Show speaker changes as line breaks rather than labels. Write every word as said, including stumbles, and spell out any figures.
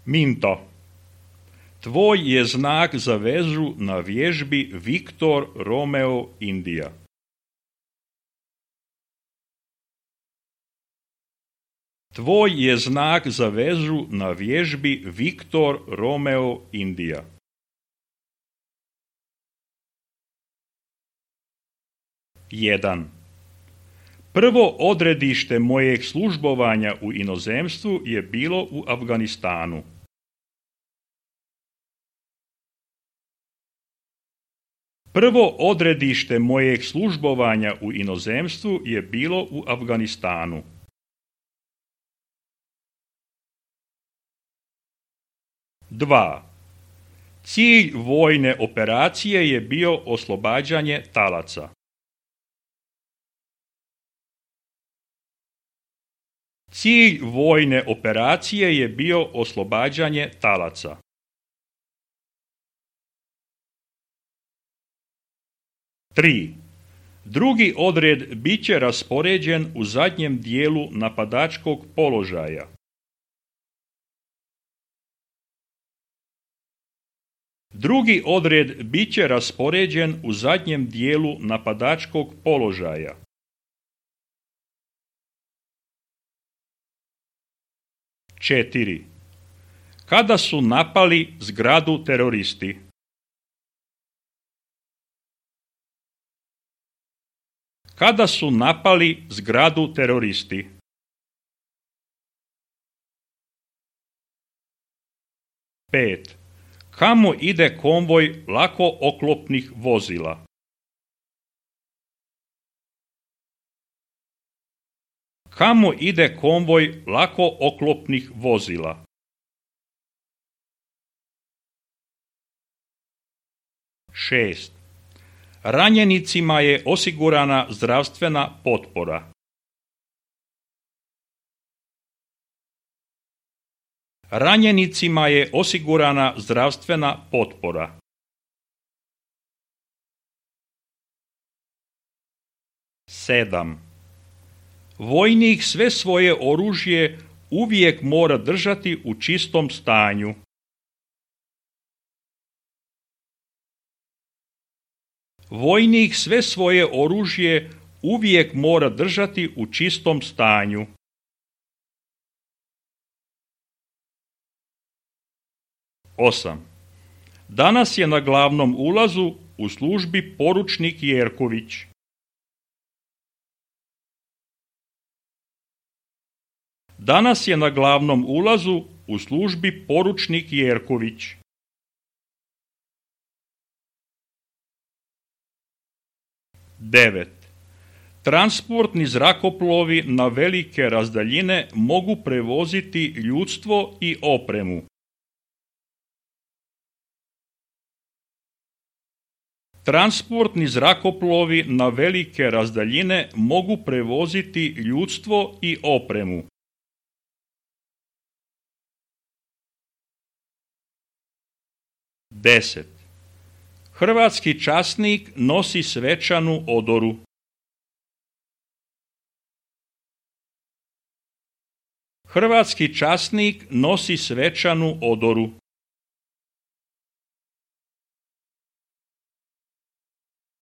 Minto. Tvoj je znak za vezu na vježbi Viktor Romeo Indija. Tvoj je znak za vezu na vježbi Viktor Romeo Indija. jedan. Prvo odredište mojeg službovanja u inozemstvu je bilo u Afganistanu. Prvo odredište mojeg službovanja u inozemstvu je bilo u Afganistanu. dva. Cilj vojne operacije je bio oslobađanje talaca. Cilj vojne operacije je bio oslobađanje talaca. tri. Drugi odred bit će raspoređen u zadnjem dijelu napadačkog položaja. Drugi odred bit će raspoređen u zadnjem dijelu napadačkog položaja. četiri. Kada su napali zgradu teroristi? Kada su napali zgradu teroristi? pet. Kamo ide konvoj lako oklopnih vozila? Kamo ide konvoj lako oklopnih vozila? šest. Ranjenicima je osigurana zdravstvena potpora. Ranjenicima je osigurana zdravstvena potpora. sedam. Vojnik sve svoje oružje uvijek mora držati u čistom stanju. Vojnik sve svoje oružje uvijek mora držati u čistom stanju. osam. Danas je na glavnom ulazu u službi poručnik Jerković. Danas je na glavnom ulazu u službi poručnik Jerković. devet. Transportni zrakoplovi na velike razdaljine mogu prevoziti ljudstvo i opremu. Transportni zrakoplovi na velike razdaljine mogu prevoziti ljudstvo i opremu. deset. Hrvatski časnik nosi svečanu odoru. Hrvatski časnik nosi svečanu odoru.